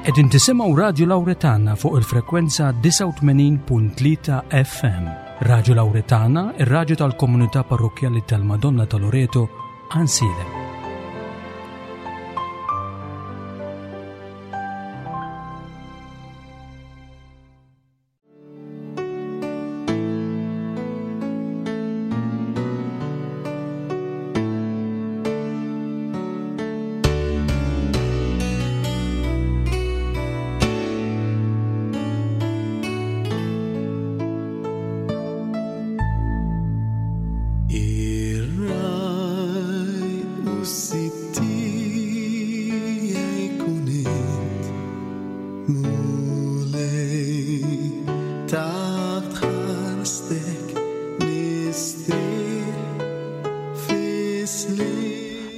Qegħdin tisimgħu Radju Lawretana fuq il-frekwenza 89.3 FM. Radju Lawretana, ir-radju tal-komunità parrokkjali tal-Madonna ta' Loreto, Ansiedem.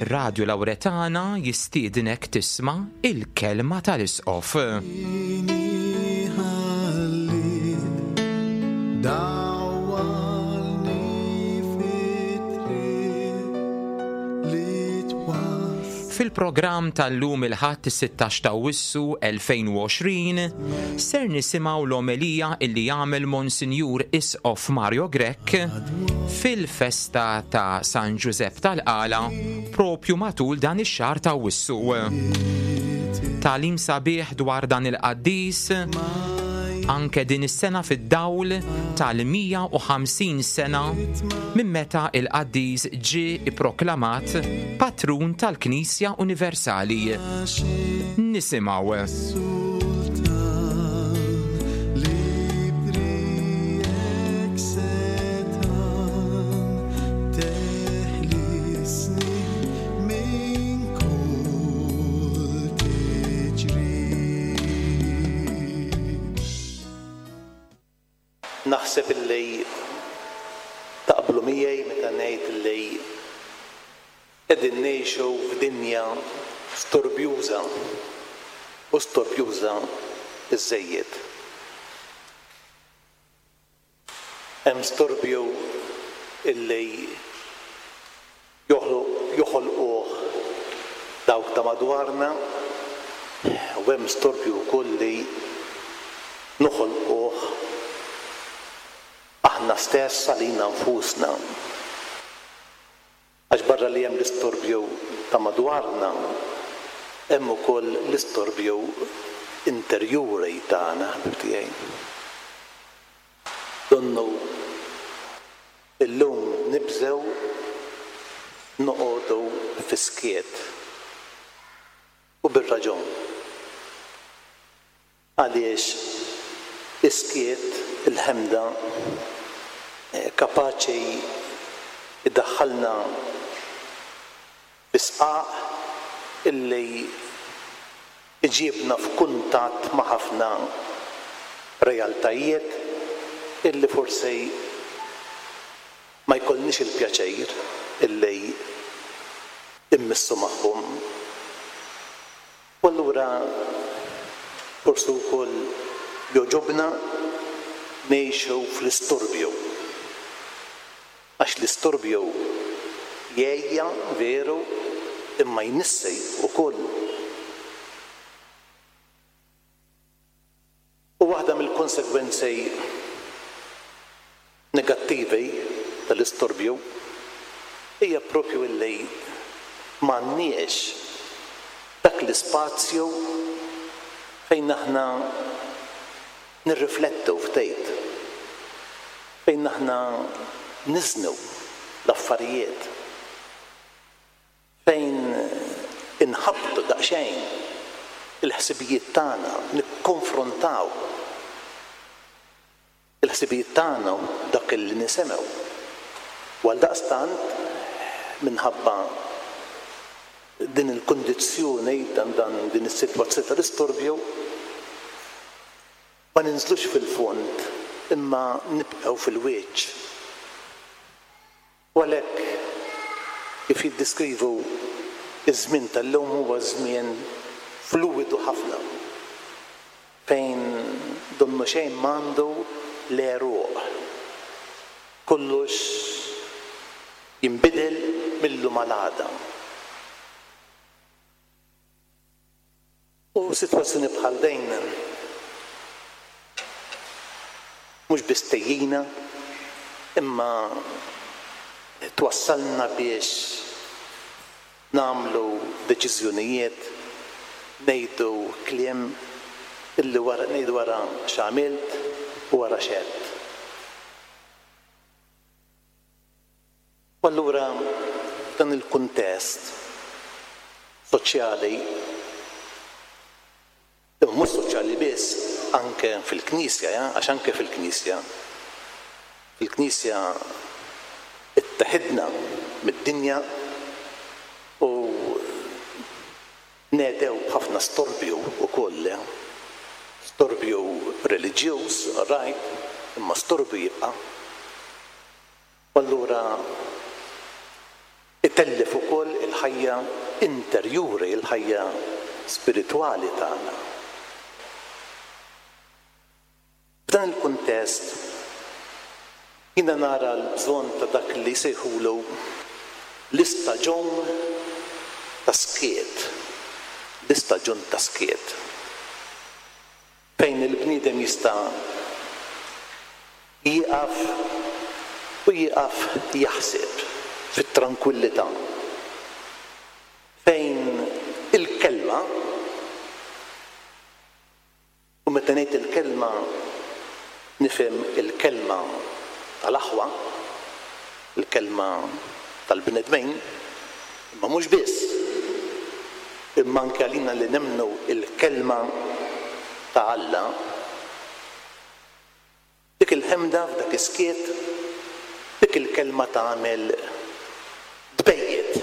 Radio Lauretana jistiednek tisma' il-kelma tal-Isqof. Fil-programm tal-lum il-Ħadd is-16 ta' Awwissu 2020 ser nisimgħu l-omelija illi jagħmel Monsinjur Isqof Mario Grech fil-festa ta' San Ġużepp tal-Qala propju matul dan ix-xahar ta' Awwissu. Tagħlim sabiħ dwar dan il-qaddis anke din is-sena fid-dawl tal-150 sena minn meta il-qaddis ġie ipproklamat patrun tal-Knisja Universali. Nisimgħu. Naħseb illi taqblu miegħi meta ngħid illi qegħdin ngħixu f'dinja storbjuża u storbjuża żżejjed. Hemm storbju illi joħolquh dawk ta' madwarna u hemm storbju wkoll li noħolquh aħna stess għalina nfusna. Għax barra li hemm l-istorbju ta' madwarna, hemm ukoll l-istorbju interjuri tagħna, ħbieb tiegħi. Donnu illum nibżgħu noqogħdu fis-skiet. U bir-raġun. Għaliex is-skiet, il-ħemda, kapaċi jdaħħalna fi sqaq illi jġibna f'kuntatt ma' ħafna realtajiet illi forsi ma jkollniex il-pjaċir illi mmissu magħhom. U allura forsi wkoll jogħġobna ngħixu fl-istorbju. Għax l-istorbju jgħejja, veru, imma jnissi wkoll. U waħda mill-konsegwenzi negattivi tal-istorbju hija proprju illi m'għandniex dak l-ispazju fejn aħna nirriflettu ftit, fejn aħna niżnu l-affarijiet. Fejn inħabbtu daqsxejn il-ħsibijiet tagħna, nikkonfrontaw il-ħsibijiet tagħna u dak li nisimgħu. U għaldaqstant, minħabba din il-kundizzjoni, dan dan din is-sitwazzjoni tal-istorbju, ma ninżlux fil-fond imma nibqgħu fil-wiċċ. U għalhekk, kif jiddeskrivu ż-żmien tal-lum huwa żmien fluwidu ħafna, fejn donnu xejn m'għandu l-għeruq. Kollox jinbidel mil-lum għal għada. U sitwazzjoni bħal din mhux biss tgħejjina imma twassalna biex nagħmlu deċiżjonijiet, ngħidu kliem illi wara ngħidu wara x'għamilt u wara x'għedt. U allura f'dan il-kuntest soċjali, imma mhux soċjali biss, anke fil-Knisja, għax anke fil-Knisja, fil-Knisja itteħidna mid-dinja u Ngħedew b'ħafna storbju wkoll, storbju reliġjuż, all right, imma storbju jibqa'. U allura itellef ukoll il-ħajja interjuri, il-ħajja spiritwali tagħna. F'dan il-kuntest, jiena nara l-bżonn ta' dak li jsejħulu l-istaġun ta' skiet, l-istaġun ta' skiet, fejn il-bniedem jista' jieqaf u jieqaf jaħseb fit-trankwillità, fejn il-kelma, U meta ngħid il-kelma nifhem il-kelma tal-aħwa, il-kelma tal-bnedmin, imma mhux biss, imma anke għalina li nemmnu l-kelma ta' Alla. Dik il-ħemda f'dak is-skiet, dik il-kelma tagħmel tbejjet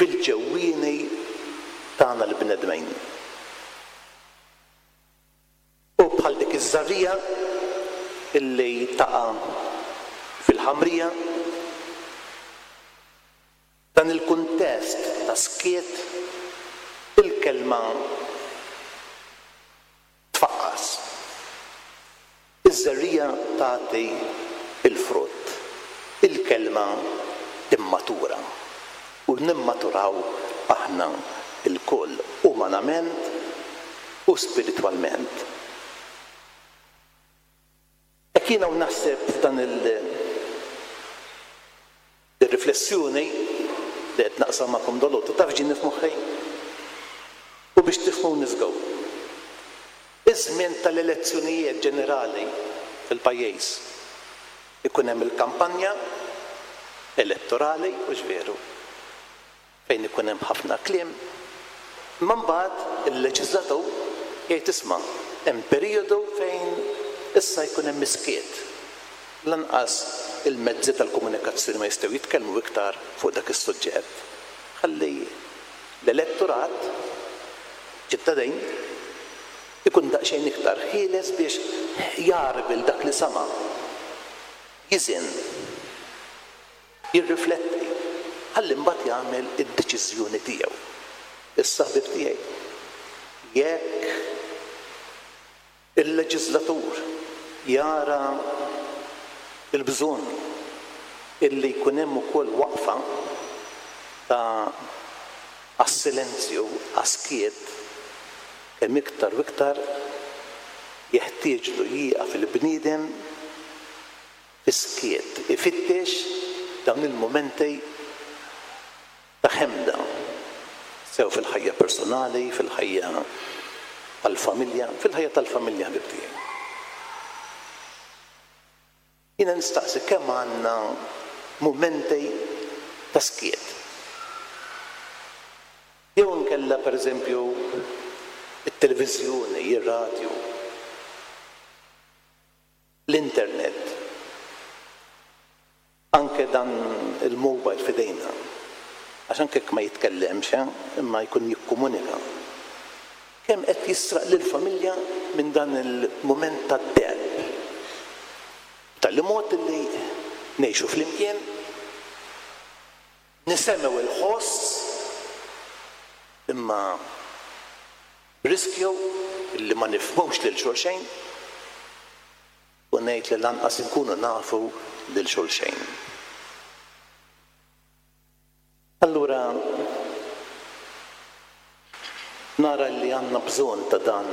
fil-ġewwieni tagħna l-bnedmin. U bħal dik iż-żerriegħa illi taqa' fil-ħamrija, Dan il-kuntest ta' skiet, il-kelma tfaqqas. Iż-żerriegħa tagħti l-frott. Il-kelma timmatura. U nimmaturaw aħna lkoll, umanament u spiritwalment. Hekk jiena u naħseb f'dan il ir-riflessjoni li qed naqsam magħkom dalgħodu, taf x'ġieni f'moħħi? U biex tifhmuni żgur. Iż-żmien tal-elezzjonijiet ġenerali fil-pajjiż ikun hemm il-kampanja elettorali, hux veru? fejn ikun hemm ħafna kliem, imma mbagħad il-leġiżlatur jgħid isma' hemm perijodu fejn issa jkun hemm is-skiet. Lanqas il-mezzi tal-komunikazzjoni ma jistgħu jitkellmu iktar fuq dak is-suġġett. Ħalli l-elettorat, ċittadin, ikun daqsxejn iktar ħieles biex jagħrbel dak li sama', jiżen. Jirrifletti, ħalli mbagħad jagħmel id-deċiżjoni tiegħu. Issa ħbieb tiegħi, jekk il-leġiżlatur jara l-bżonn illi jkun hemm ukoll waqfa ta' għas-silenzju, għas-skiet, kemm iktar u iktar jeħtieġlu jieqaf il-bniedem Fis-skiet, ifittex dawn il-mumenti ta' ħemda, sew fil-ħajja personali, fil-ħajja tal-familja, fil-ħajja tal-familja ħbieb tiegħi. Jiena nistaqsi kemm għandna mumenti ta' skiet. Jew inkella pereżempju it-televiżjoni, ir-radju. L-internet, anke dan il-mobile f'idejna, għax anke jekk ma jitkellemx, imma jkun jikkomunika, kemm qed jisraq lill-familja minn dan il-mument tad-deheb. B'tali mod li ngħixu flimkien, nisemgħu l-ħoss, imma B'riskju li ma nifhmux lil xulxejn u ngħid li lanqas inkunu nafu lil xulxejn. Allura Nara li għandna bżonn ta' dan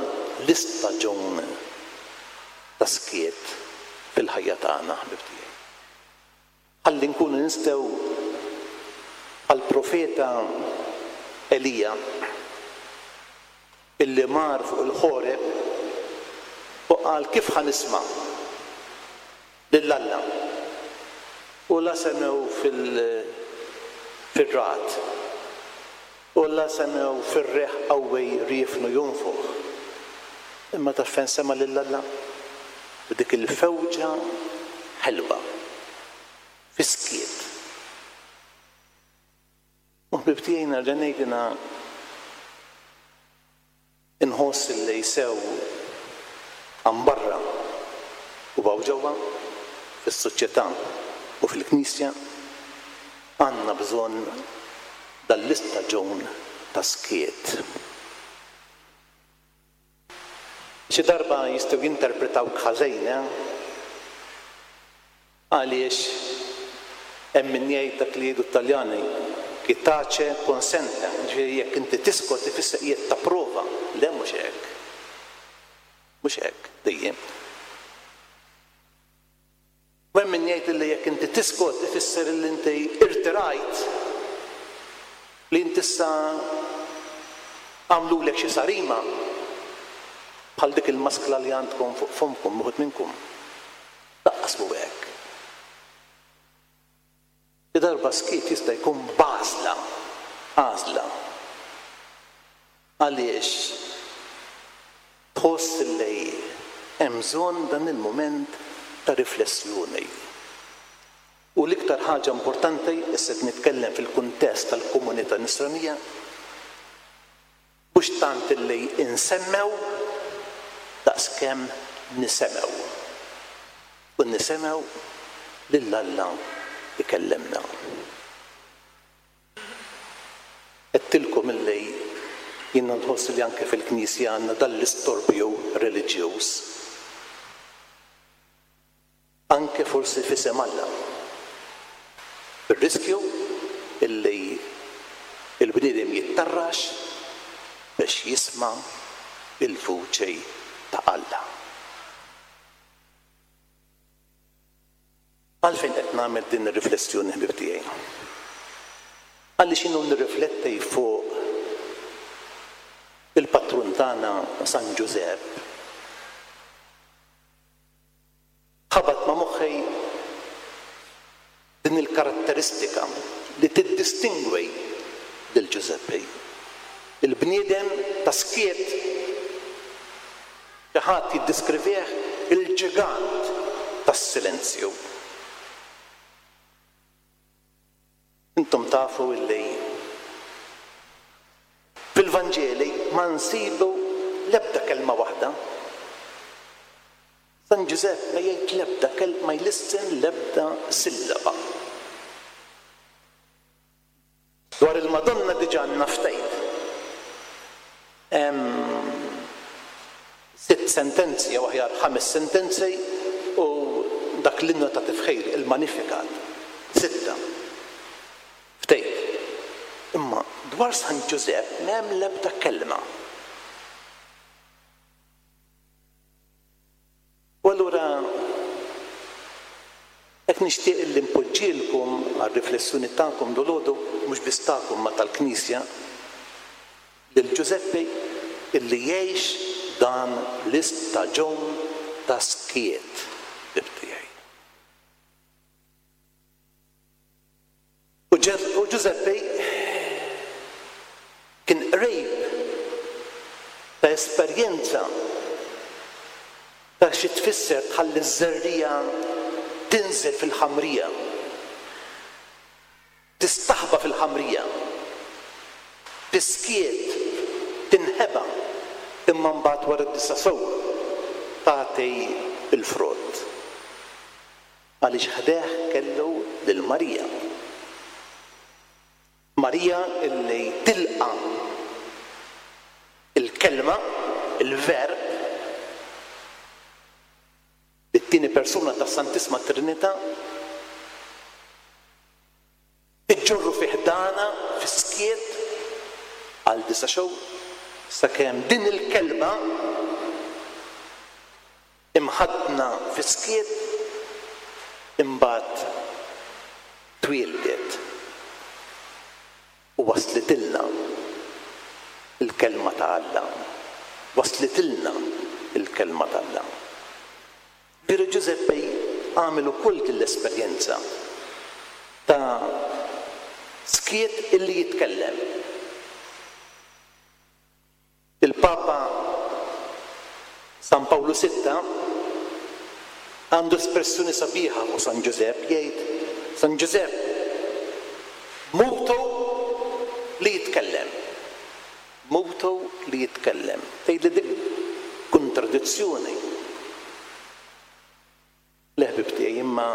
l-istaġun ta' skiet fil-ħajja tagħna, ħbieb tiegħi. Ħalli nkunu nistgħu bħall-profeta Elija illi mar fuq il-Ħoreb u qal kif ħa nisma' lil Alla u la semgħu fil-ragħad u la semgħu fir-riħ qawwi riefnu jonfoħ. Imma taf fejn sema' lil Alla? F'dik il-fewġa ħelwa, fis-skiet. U ħbieb tiegħi nerġa' ngħid jiena inħoss illi sew hawn barra u hawn ġewwa, fis-soċjetà u fil-Knisja, għandna bżonn dan l-istaġun ta' skiet. Xi darba jistgħu jinterpretawk ħażin, eh? Għaliex hemm min jgħid dak li jgħidu t-Taljani, chi tace consente, jiġifieri jekk inti tiskot ifisser qiegħed tapprova. Le mhux hekk. Mhux hekk dejjem. U hemm min jgħid li jekk inti tiskot ifisser li inti irtirajt, li inti issa għamlulek xi sarima bħal dik il-maskla li għandkom fuq fommkom uħud minnkom. Lanqas mhu hekk. Xi darba skiet jista' jkun b'għażla, għażla. Għaliex tħoss li hemm bżonn dan il-mument ta' riflessjoni. U l-iktar ħaġa importanti, issa qed nitkellem fil-kuntest tal-komunità Nisranija, mhux tant li nsemmew daqskemm nisemgħu. U nisemgħu lil Alla jkellimna. Għedtilkom illi jiena nħoss li anke fil-Knisja għandna dan l-istorbju reliġjuż. Anke forsi f'isem Alla. Bir-riskju illi l-bniedem jittarrax biex jisma' l-vuċi ta' Alla. Għalfejn qed nagħmel din ir-riflessjoni ħbieb tiegħi? Għaliex jien u nirrifletti fuq il-patrun tagħna San Ġużepp, ħabat ma' moħħi din il-karatteristika li tiddistingwi lil Ġużeppi. Il-bniedem ta' skiet, xi ħadd jiddiskrivih il-ġigant tas-silenzju. Intom tafu illi fil-Vanġeli ma nsibu l-ebda kelma waħda. San Ġużepp ma jgħid l-ebda kelma, ma jlissen l-ebda sillaba. Dwar il-Madonna diġà għandna ftit. Hemm sitt sentenzi jew aħjar ħames sentenzi u dak l-innu ta' tifħir, il-Magnificat, sitta. Ftit. Imma dwar San Ġużepp m'hemm l-ebda kelma. U allura hekk nixtieq illi npoġġielkom għar-riflessjoni tagħkom dolodu, mhux biss tagħkom ma tal-Knisja, lil Ġużeppi illi jgħix dan l-istaġun ta' skiet, ħbieb tiegħi. U Ġużeppi kien qrib ta' esperjenza ta' xi tfisser tħalli ż-żerriegħa tinżel fil-ħamrija, tistaħba fil-ħamrija, fis-skiet tinħeba imma mbagħad wara disa' xhur tagħti l-frott. Għaliex ħdejh kellu lil Marija. Marija illi tilqa' l-Kelma, il-Verb, it-tieni persuna tas-Santissma Trinità, iġġorru fi ħdanha fis-skiet għal disa' xhur. Sakemm din il-kelma imħaddna fis-skiet imbagħad twieldet u waslitilna l-Kelma ta' Alla. Waslitilna l-Kelma t'Alla. Veru Ġużeppi għamel ukoll din l-esperjenza ta' skiet illi jitkellem. Il-Papa San Pawlu Sitta għandu espressjoni sabiħa fuq San Ġużepp, jgħid, San Ġużepp mutu li jitkellem. Mutu li jitkellem. Tgħidli dik kontradizzjoni. Le ħbieb tiegħi, imma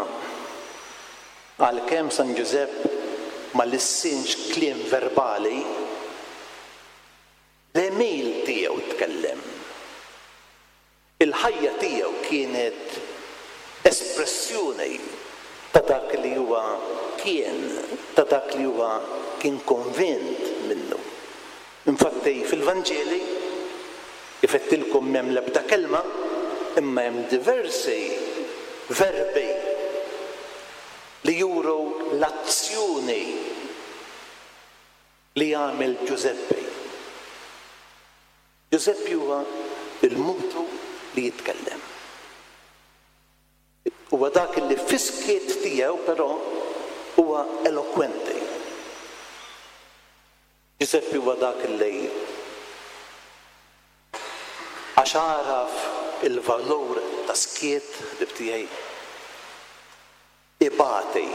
għalkemm San Ġużepp ma lissinx kliem verbali, l-għemil tiegħu tkellem. Il-ħajja tiegħu kienet espressjoni ta' dak li huwa kien, ta' dak li huwa kien konvint minnu. Infatti fil-Vanġeli, kif għedtilkom m'hemm l-ebda kelma, imma hemm diversi verbi li juru l-azzjoni li għamel Ġużeppi. Ġużeppi huwa l-mutu li jitkellem. Huwa dak li fis-skiet tiegħu però huwa elokwenti. Ġużeppi huwa dak li għax għaraf il-valur tas-skiet, ħbieb tiegħi, ibati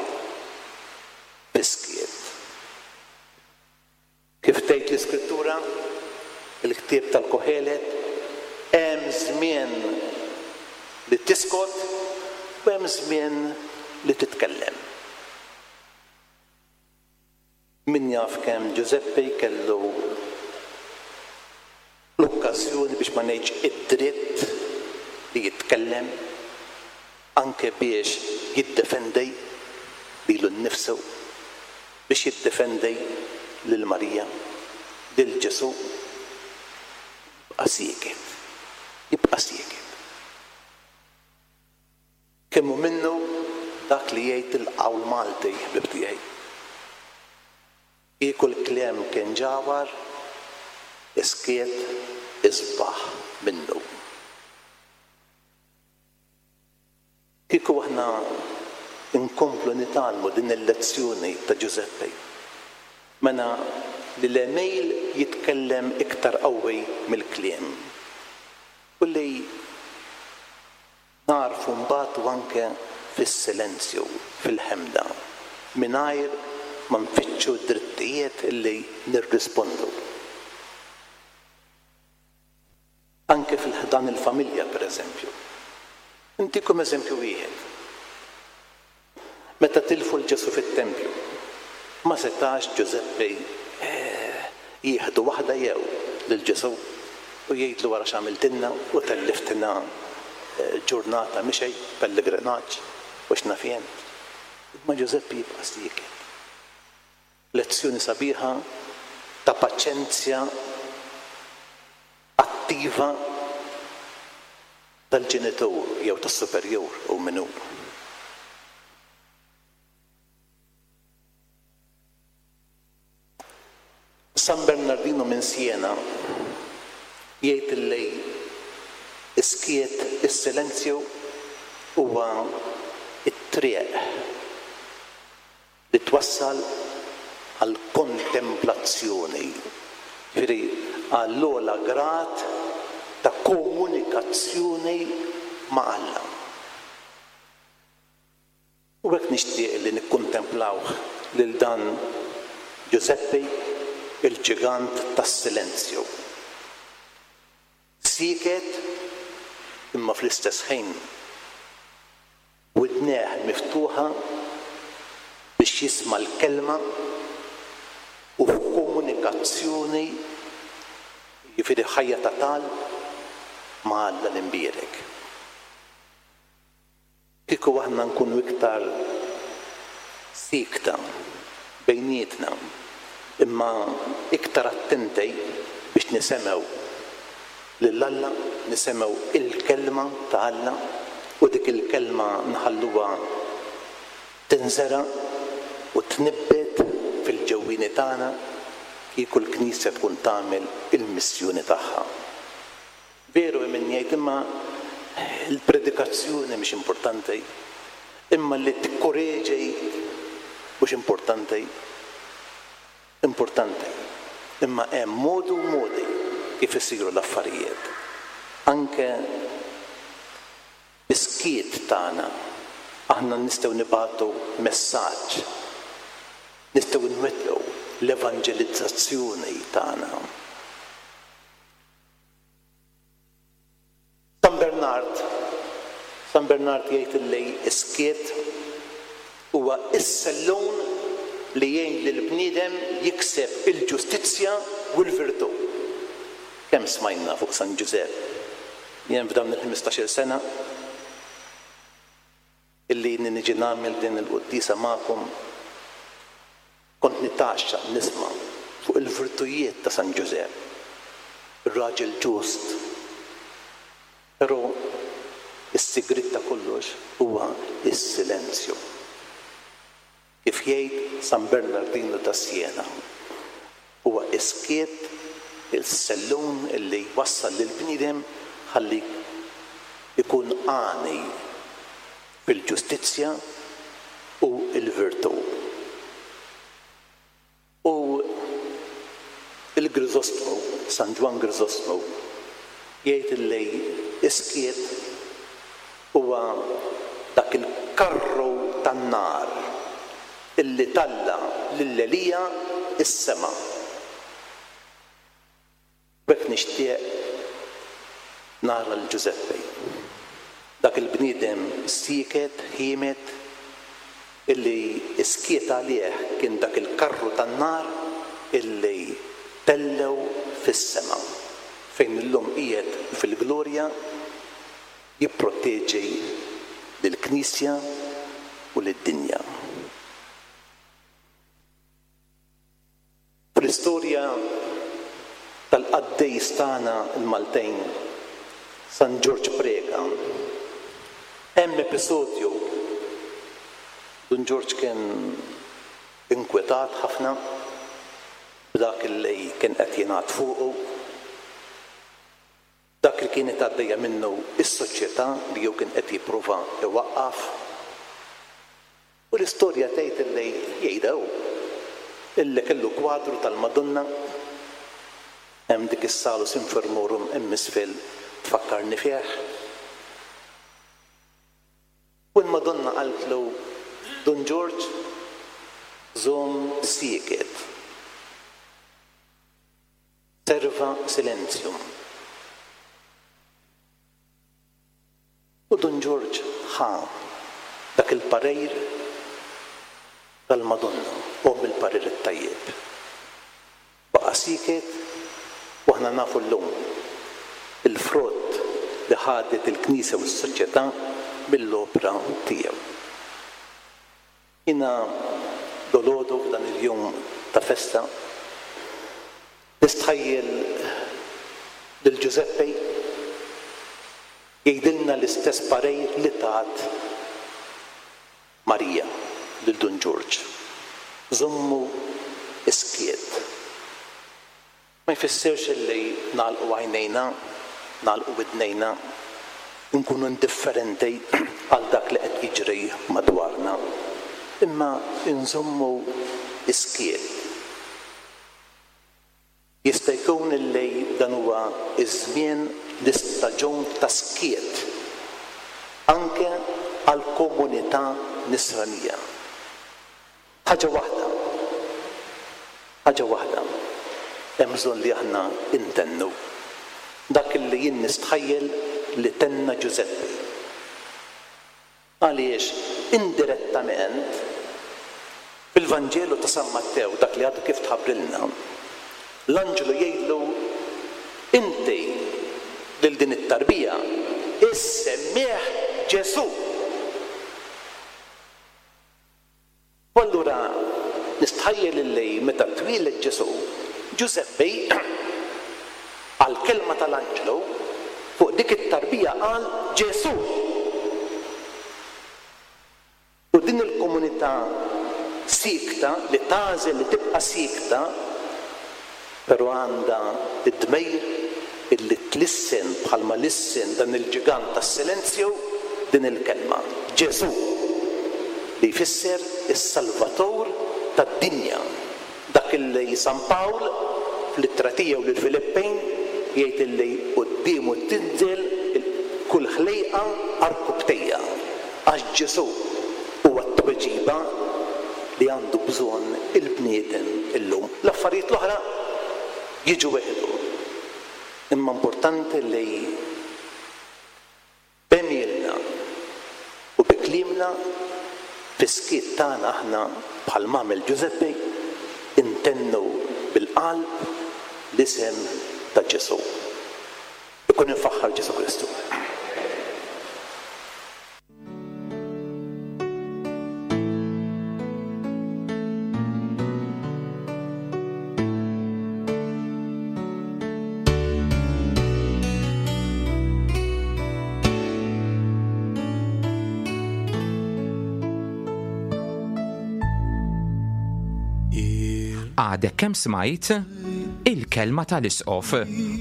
fis-skiet. Kif tgħid l-Iskrittura, il-ktieb tal-Kohelet, hemm żmien li tiskot u hemm żmien li titkellem. Min jaf kemm Ġużeppi kellu l-okkażjoni biex ma ngħidx id-dritt li jitkellem anke biex jiddefendi lilu nnifsu, biex jiddefendi lil Marija, lil Ġesù, jibqa' sieket, jibqa' sieket. Kemm hu minnu dak li jgħid il-qawl Malti, ħbieb tiegħi. Kieku l-kliem kien ġawhar, is-skiet isbaħ minnu. Kieku aħna nkomplu nitgħallmu din il-lezzjoni ta' Ġużeppi, mela li l-għemil jitkellem iktar qawwi mill-kliem u li nagħrfu nbatu anke fis-silenzju, fil-ħemda, mingħajr ma nfittxu d-drittijiet li nirrispondu. Anke fil-ħdan il-familja, per eżempju. Intikom eżempju wieħed. Meta tilfu 'l Ġesù fit-tempju, ma setax Ġużeppi jieħdu waħda jew lil Ġesù u jgħidlu ara x'għamiltilna u telliftina ġurnata mixej, pellegrinaġġ u x'naf jien. Imma Ġużeppi jibqa' sieket. Lezzjoni sabiħa ta' paċenzja attiva tal-ġenitur jew tas-superjur hu min hu. San Bernardino minn Siena jgħid li s-skiet, is-silenzju huwa t-triq li twassal għall-kontemplazzjoni, jiġifieri għall-ogħla grad ta' komunikazzjoni ma' Alla. U hekk nixtieq li nikkuntemplawh lil dan Ġużeppi, il-ġigant tas-silenzju. Sieket imma fl-istess ħin widnejh miftuħa biex jisma' l-Kelma u f'komunikazzjoni, jiġifieri ħajja ta' talb, ma' Alla l-Imbierek. Kieku aħna nkunu iktar siekta bejnietna, Imma iktar attenti biex nisemgħu lil Alla, nisemgħu il-Kelma ta' Alla u dik il-Kelma nħalluha tinżera' u tnibbet fil-ġewwieni tagħna kieku l-Knisja tkun tagħmel il-missjoni tagħha. Veru hemm min jgħid imma l-predikazzjoni mhix importanti, imma li tikkoreġi mhux importanti. Importanti. Imma hemm modi u modi kif isiru l-affarijiet. Anke bis-skiet tagħna aħna nistgħu nibagħtu messaġġ, nistgħu nwettqu l-evanġelizzazzjoni tagħna. San Bernard, San Bernard jgħid illi s-skiet huwa s-sellun li jgħin lill-bniedem jikseb il-ġustizzja u l-virtù. Kemm smajna fuq San Ġużepp? Jien f'dawn il-ħmistax-il sena illi ilni niġi nagħmel din il-quddiesa magħkom, kont nitgħaxxaq nisma' fuq il-virtujiet ta' San Ġużepp, ir-raġel ġust. Però s-sigriet ta' kollox huwa s-silenzju. Kif jgħid San Bernardino ta' Siena, huwa s-skiet il-sellun li jwassal lill-bniedem ħalli jkun għani fil-ġustizzja u l-virtù. U l-Griżostmu, San Ġwann Griżostmu, jgħid illi s-skiet huwa dak il-karru tan-nar illi talla' lil Elija s-sema. B'hekk nixtieq nara 'l Ġużeppi, dak il-bniedem sieket, ħiemed, illi s-skiet għalih kien dak il-karru tan-nar illi tellgħu fis-sema, fejn illum qiegħed fil-glorja jipproteġi lill-Knisja u lid-dinja. Fl-istorja tal-qaddejs tagħna l-Maltin, San Ġorġ Preca, hemm episodju, Dun Ġorġ kien inkwetat ħafna b'dak li kien qed jingħad fuqu, dak li kienet għaddejja minnu s-soċjetà li hu kien qed jipprova jwaqqaf. U l-istorja tgħid illi, jgħidha hu, illi kellu kwadru tal-Madonna hemm dik is-Salus Infirmorum hemm isfel tfakkarni fih. U l-Madonna qaltlu, Dun Ġorġ, żomm sieket. Serva silentium. U Dun Ġorġ ħa dak il-parir tal-Madonna, omm il-parir it-tajjeb. Baqa' sieket u aħna nafu llum il-frott li ħadet il-Knisja u s-soċjetà mill-opra tiegħu. Jiena dolodu f'dan il-jum ta' festa nistħajjel lil Ġużeppi jgħidilna l-istess parir li tat Marija lil Dun Ġorġ, Żommu s-skiet. Ma jfissirx illi nagħlqu għajnejna, nagħlqu widnejna, inkunu indifferenti għal dak li qed jiġri madwarna, imma nżommu s-skiet. Jista' jkun illi dan huwa ż-żmien, l-istaġun ta' skiet anke għall-komunità Nisranija. Ħaġa waħda, ħaġa waħda hemm bżonn li aħna ntennu, dak li jien nistħajjel li tenna Ġużeppi. Għaliex indirettament, fil-Vanġelu ta' San Mattew, dak li għadu kif tħabbrilna, l-anġlu jgħidlu, Inti lil din it-tarbija issemmih Ġesù. U allura Nistħajjel illi meta twieled Ġesù, Ġużeppi għall-kelma tal-anġlu fuq dik it-tarbija qal Ġesù! U din il-komunità siekta li tagħżel li tibqa' siekta però għandha d-dmir illi tlissen bħalma lissen dan il-ġigant tas-silenzju din il-kelma, Ġesù, li jfisser is-Salvatur tad-dinja, dak illi San Pawl fl-ittra tiegħu lill-Filippin jgħid illi quddiemu tinżel kull ħlejqa għarkupptejha. Għax Ġesù huwa t-tweġiba li għandu bżonn il-bniedem illum. L-affarijiet l-oħra jiġu weħidhom. Imma importanti li b'għemilna u bi kliemna, fis-skiet tagħna aħna bħalma għamel Ġużeppi, intennu bil-qalb l-isem ta' Ġesù. Ikun imfaħħar Ġesù Kristu. Għadek kemm smajt Il-Kelma tal-Isqof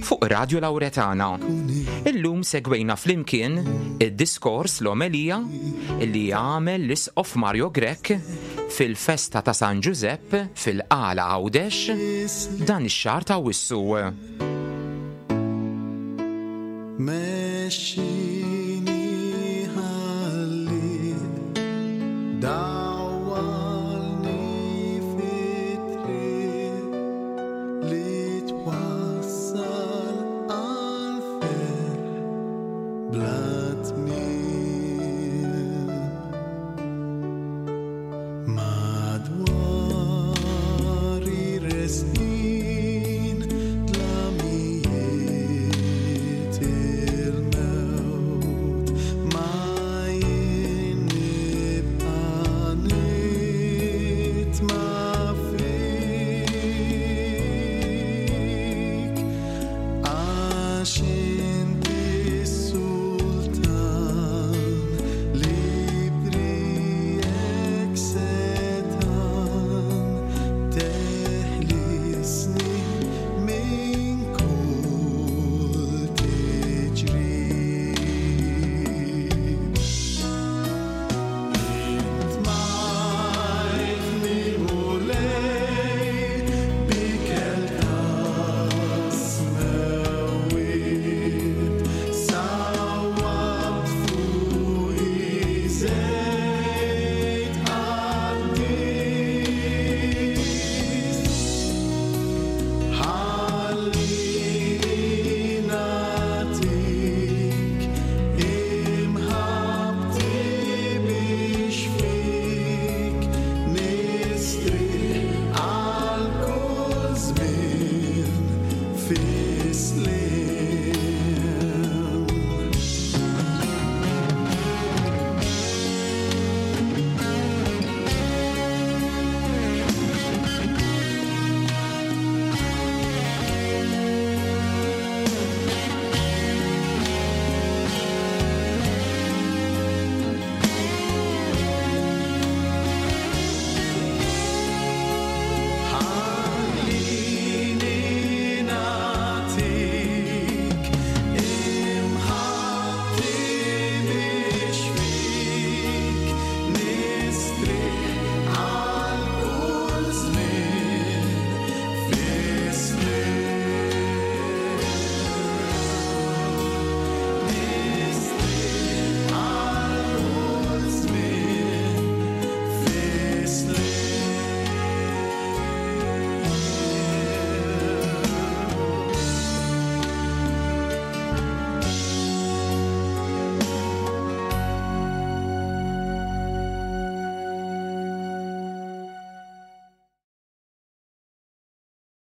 fuq Radju Lawretana. Illum segwejna flimkien id-diskors l-omelija li għamel l-Isqof Mario Grech fil-festa ta' San Ġużepp fil-Qala Għawdex dan ix-xahar ta' Awwissu.